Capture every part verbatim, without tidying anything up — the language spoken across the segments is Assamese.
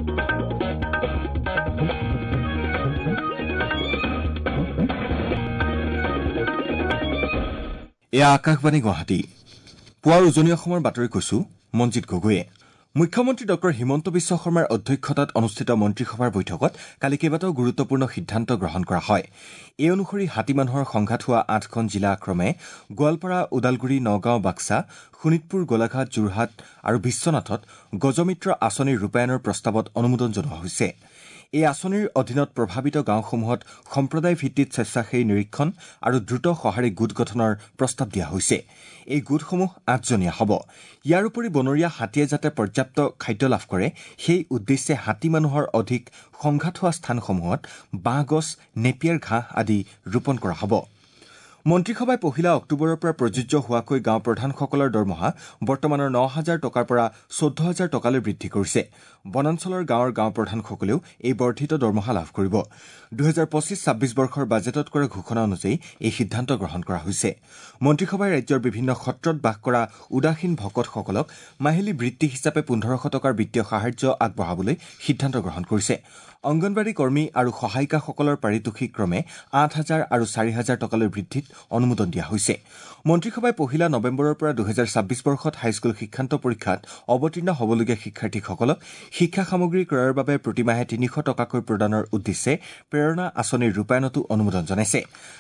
এয়া আকাশবাণী গুৱাহাটী। পুৱাৰ উজনি অসমৰ বাতৰি কৈছো মঞ্জিত গগৈয়ে। মুখ্যমন্ত্ৰী ডক্টৰ হিমন্ত বিশ্ব শৰ্মাৰ অধ্যক্ষতাত অনুষ্ঠিত মন্ত্ৰীসভাৰ বৈঠকত কালি কেইবাটাও গুৰুত্বপূৰ্ণ সিদ্ধান্ত গ্ৰহণ কৰা হয়। এই অনুসৰি হাতী মানুহৰ সংঘাত হোৱা আঠখন জিলা ক্ৰমে গোৱালপাৰা, ওদালগুৰি, নগাঁও, বাক্সা, শোণিতপুৰ, গোলাঘাট, যোৰহাট আৰু বিশ্বনাথত গজমিত্ৰ আঁচনিৰ ৰূপায়ণৰ প্ৰস্তাৱত অনুমোদন জনোৱা হৈছে। এই আঁচনিৰ অধীনত প্ৰভাৱিত গাঁওসমূহত সম্প্ৰদায় ভিত্তিত স্বেচ্ছাসেৱী নিৰীক্ষণ আৰু দ্ৰুত সঁহাৰি গোট গঠনৰ প্ৰস্তাৱ দিয়া হৈছে। এই গোটসমূহ আঠজনীয়া হ'ব। ইয়াৰ উপৰি বনৰীয়া হাতীয়ে যাতে পৰ্যাপ্ত খাদ্য লাভ কৰে সেই উদ্দেশ্যে হাতী মানুহৰ অধিক সংঘাত হোৱা স্থানসমূহত বাঁহগছ, নেপিয়াৰ ঘাঁহ আদি ৰোপণ কৰা হ'ব। মন্ত্ৰীসভাই পহিলা অক্টোবৰৰ পৰা প্ৰযোজ্য হোৱাকৈ গাঁও প্ৰধানসকলৰ দৰমহা বৰ্তমানৰ ন হাজাৰ টকাৰ পৰা চৈধ্য হাজাৰ টকালৈ বৃদ্ধি কৰিছে। বনাঞ্চলৰ গাঁৱৰ গাঁও প্ৰধানসকলেও এই বৰ্ধিত দৰমহা লাভ কৰিব। দুহেজাৰ পঁচিছ ছাব্বিছ বৰ্ষৰ বাজেটত কৰা ঘোষণা অনুযায়ী এই সিদ্ধান্ত গ্ৰহণ কৰা হৈছে। মন্ত্ৰীসভাই ৰাজ্যৰ বিভিন্ন সত্ৰত বাস কৰা উদাসীন ভকতসকলক মাহিলী বৃত্তি হিচাপে পোন্ধৰশ টকাৰ বিত্তীয় সাহায্য আগবঢ়াবলৈ সিদ্ধান্ত গ্ৰহণ কৰিছে। অংগনবাড়ী কৰ্মী আৰু সহায়িকাসকলৰ পাৰিতোষিক ক্ৰমে আঠ হাজাৰ আৰু চাৰি হাজাৰ টকালৈ বৃদ্ধিত অনুমোদন দিয়া হৈছে। মন্ত্ৰীসভাই পহিলা নৱেম্বৰৰ পৰা দুহেজাৰ ছাব্বিছ বৰ্ষত হাইস্কুল শিক্ষান্ত পৰীক্ষাত অৱতীৰ্ণ হ'বলগীয়া শিক্ষাৰ্থীসকলক শিক্ষা সামগ্ৰী ক্ৰয়ৰ বাবে প্ৰতিমাহে তিনিশ টকাকৈ প্ৰদানৰ উদ্দেশ্যে প্ৰেৰণা আঁচনিৰ ৰূপায়ণতো অনুমোদন জনাইছে।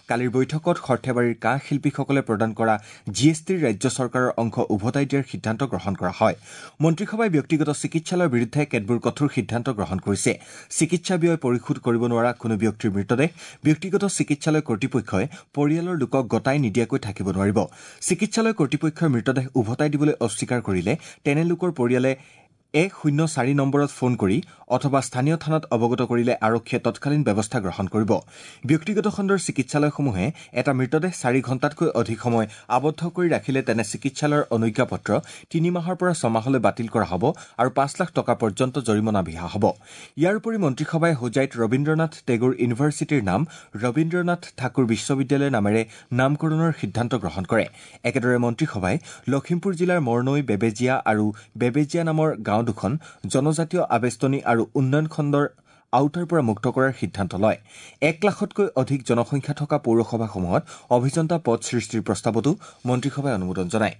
কালিৰ বৈঠকত সৰ্থেবাৰীৰ কাঁহ শিল্পীসকলে প্ৰদান কৰা জি এছ টিৰ ৰাজ্য চৰকাৰৰ অংশ উভতাই দিয়াৰ সিদ্ধান্ত গ্ৰহণ কৰা হয়। মন্ত্ৰীসভাই ব্যক্তিগত চিকিৎসালয়ৰ বিৰুদ্ধে কেতবোৰ কঠোৰ সিদ্ধান্ত গ্ৰহণ কৰিছে। চিকিৎসা ব্যয় পৰিশোধ কৰিব নোৱাৰা কোনো ব্যক্তিৰ মৃতদেহ ব্যক্তিগত চিকিৎসালয় কৰ্তৃপক্ষই পৰিয়ালৰ লোকক গতাই নিদিয়াকৈ থাকিব নোৱাৰিব। চিকিৎসালয় কৰ্তৃপক্ষই মৃতদেহ উভতাই দিবলৈ অস্বীকাৰ কৰিলে তেনে লোকৰ পৰিয়ালে এক শূন্য চাৰি নম্বৰত ফোন কৰি অথবা স্থানীয় থানাত অৱগত কৰিলে আৰক্ষীয়ে তৎকালীন ব্যৱস্থা গ্ৰহণ কৰিব। ব্যক্তিগত খণ্ডৰ চিকিৎসালয়সমূহে এটা মৃতদেহ চাৰি ঘণ্টাতকৈ অধিক সময় আবদ্ধ কৰি ৰাখিলে তেনে চিকিৎসালয়ৰ অনুজ্ঞাপত্ৰ তিনি মাহৰ পৰা ছমাহলৈ বাতিল কৰা হ'ব আৰু পাঁচ লাখ টকা পৰ্যন্ত জৰিমনা বিহা হ'ব। ইয়াৰ উপৰি মন্ত্ৰীসভাই হোজাইত ৰবীন্দ্ৰনাথ টেগোৰ ইউনিভাৰ্চিটিৰ নাম ৰবীন্দ্ৰনাথ ঠাকুৰ বিশ্ববিদ্যালয় নামেৰে নামকৰণৰ সিদ্ধান্ত গ্ৰহণ কৰে। একেদৰে মন্ত্ৰীসভাই লখিমপুৰ জিলাৰ মৰনৈ, বেবেজীয়া আৰু বেবেজীয়া নামৰ গাঁও দুখন জনজাতীয় আবেষ্টনী আৰু উন্নয়ন খণ্ডৰ আওতাৰ পৰা মুক্ত কৰাৰ সিদ্ধান্ত লয়। এক লাখতকৈ অধিক জনসংখ্যা থকা পৌৰসভাসমূহত অভিযন্তা পদ সৃষ্টিৰ প্ৰস্তাৱতো মন্ত্ৰীসভাই অনুমোদন জনায়।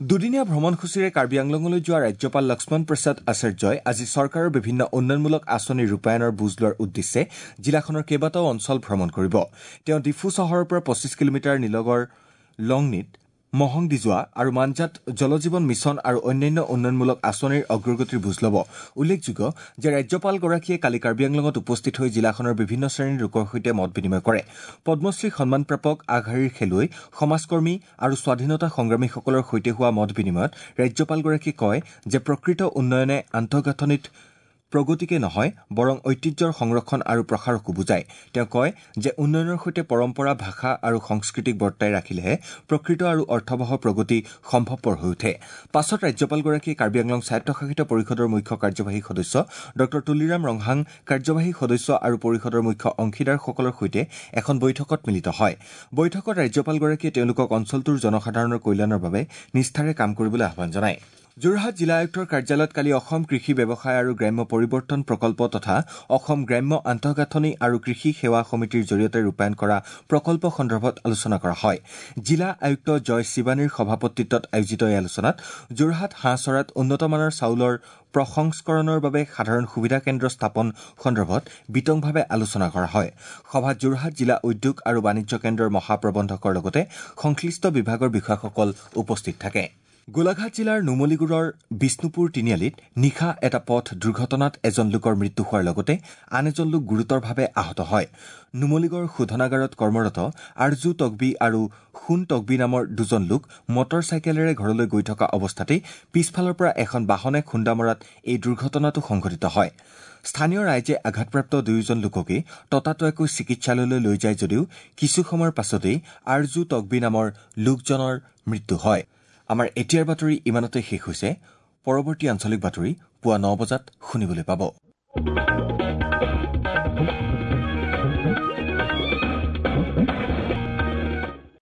দুদিনীয়া ভ্ৰমণসূচীৰে কাৰ্বি আংলঙলৈ যোৱা ৰাজ্যপাল লক্ষ্মণ প্ৰসাদ আচাৰ্যই আজি চৰকাৰৰ বিভিন্ন উন্নয়নমূলক আঁচনিৰ ৰূপায়ণৰ বুজ লোৱাৰ উদ্দেশ্যে জিলাখনৰ কেইবাটাও অঞ্চল ভ্ৰমণ কৰিব। তেওঁ ডিফু চহৰৰ পৰা পঁচিছ কিলোমিটাৰ নিলগৰ লংনিত মহং দিজোৱা আৰু মাঞ্জাত জলজীৱন মিছন আৰু অন্যান্য উন্নয়নমূলক আঁচনিৰ অগ্ৰগতিৰ বুজ ল'ব। উল্লেখযোগ্য যে ৰাজ্যপালগৰাকীয়ে কালি কাৰ্বি আংলঙত উপস্থিত হৈ জিলাখনৰ বিভিন্ন শ্ৰেণীৰ লোকৰ সৈতে মত বিনিময় কৰে। পদ্মশ্ৰী সন্মানপ্ৰাপক, আগশাৰীৰ খেলুৱৈ, সমাজকৰ্মী আৰু স্বাধীনতা সংগ্ৰামীসকলৰ সৈতে হোৱা মত বিনিময়ত ৰাজ্যপালগৰাকীয়ে কয় যে প্ৰকৃত উন্নয়নে আন্তঃগাঁথনিত প্ৰগতিকে নহয় বৰং ঐতিহ্যৰ সংৰক্ষণ আৰু প্ৰসাৰকো বুজায়। তেওঁ কয় যে উন্নয়নৰ সৈতে পৰম্পৰা, ভাষা আৰু সংস্কৃতিক বৰ্তাই ৰাখিলেহে প্ৰকৃত আৰু অৰ্থৱহ প্ৰগতি সম্ভৱপৰ হৈ উঠে। পাছত ৰাজ্যপালগৰাকীয়ে কাৰ্বি আংলং স্বায়ত্তশাসিত পৰিষদৰ মুখ্য কাৰ্যবাহী সদস্য ডঃ তুলিৰাম ৰংহাং, কাৰ্যবাহী সদস্য আৰু পৰিষদৰ মুখ্য অংশীদাৰসকলৰ সৈতে এখন বৈঠকত মিলিত হয়। বৈঠকত ৰাজ্যপালগৰাকীয়ে তেওঁলোকক অঞ্চলটোৰ জনসাধাৰণৰ কল্যাণৰ বাবে নিষ্ঠাৰে কাম কৰিবলৈ আহ্বান জনায়। যোৰহাট জিলা আয়ুক্তৰ কাৰ্যালয়ত কালি অসম কৃষি ব্যৱসায় আৰু গ্ৰাম্য পৰিৱৰ্তন প্ৰকল্প তথা অসম গ্ৰাম্য আন্তঃগাঁথনি আৰু কৃষি সেৱা সমিতিৰ জৰিয়তে ৰূপায়ণ কৰা প্ৰকল্প সন্দৰ্ভত আলোচনা কৰা হয়। জিলা আয়ুক্ত জয় শিৱানীৰ সভাপতিত্বত আয়োজিত এই আলোচনাত যোৰহাট হাঁহচৰাত উন্নতমানৰ চাউলৰ প্ৰসংস্কৰণৰ বাবে সাধাৰণ সুবিধা কেন্দ্ৰ স্থাপন সন্দৰ্ভত বিতংভাৱে আলোচনা কৰা হয়। সভাত যোৰহাট জিলা উদ্যোগ আৰু বাণিজ্য কেন্দ্ৰৰ মহাপ্ৰবন্ধকৰ লগতে সংশ্লিষ্ট বিভাগৰ বিষয়াসকল উপস্থিত থাকে। গোলাঘাট জিলাৰ নুমলীগড়ৰ বিষ্ণুপুৰ তিনিআলিত নিশা এটা পথ দুৰ্ঘটনাত এজন লোকৰ মৃত্যু হোৱাৰ লগতে আন এজন লোক গুৰুতৰভাৱে আহত হয়। নুমলীগড় শোধনাগাৰত কৰ্মৰত আৰজু তকবি আৰু সোণ তকবি নামৰ দুজন লোক মটৰ চাইকেলেৰে ঘৰলৈ গৈ থকা অৱস্থাতেই পিছফালৰ পৰা এখন বাহনে খুন্দা মৰাত এই দুৰ্ঘটনাটো সংঘটিত হয়। স্থানীয় ৰাইজে আঘাতপ্ৰাপ্ত দুয়োজন লোককে ততাতৈয়াকৈ চিকিৎসালয়লৈ লৈ যায় যদিও কিছু সময়ৰ পাছতেই আৰজু তকবি নামৰ লোকজনৰ মৃত্যু হয়। আমাৰ এতিয়াৰ বাতৰি ইমানতে শেষ হৈছে। পৰৱৰ্তী আঞ্চলিক বাতৰি পুৱা ন বজাত শুনিবলৈ পাব।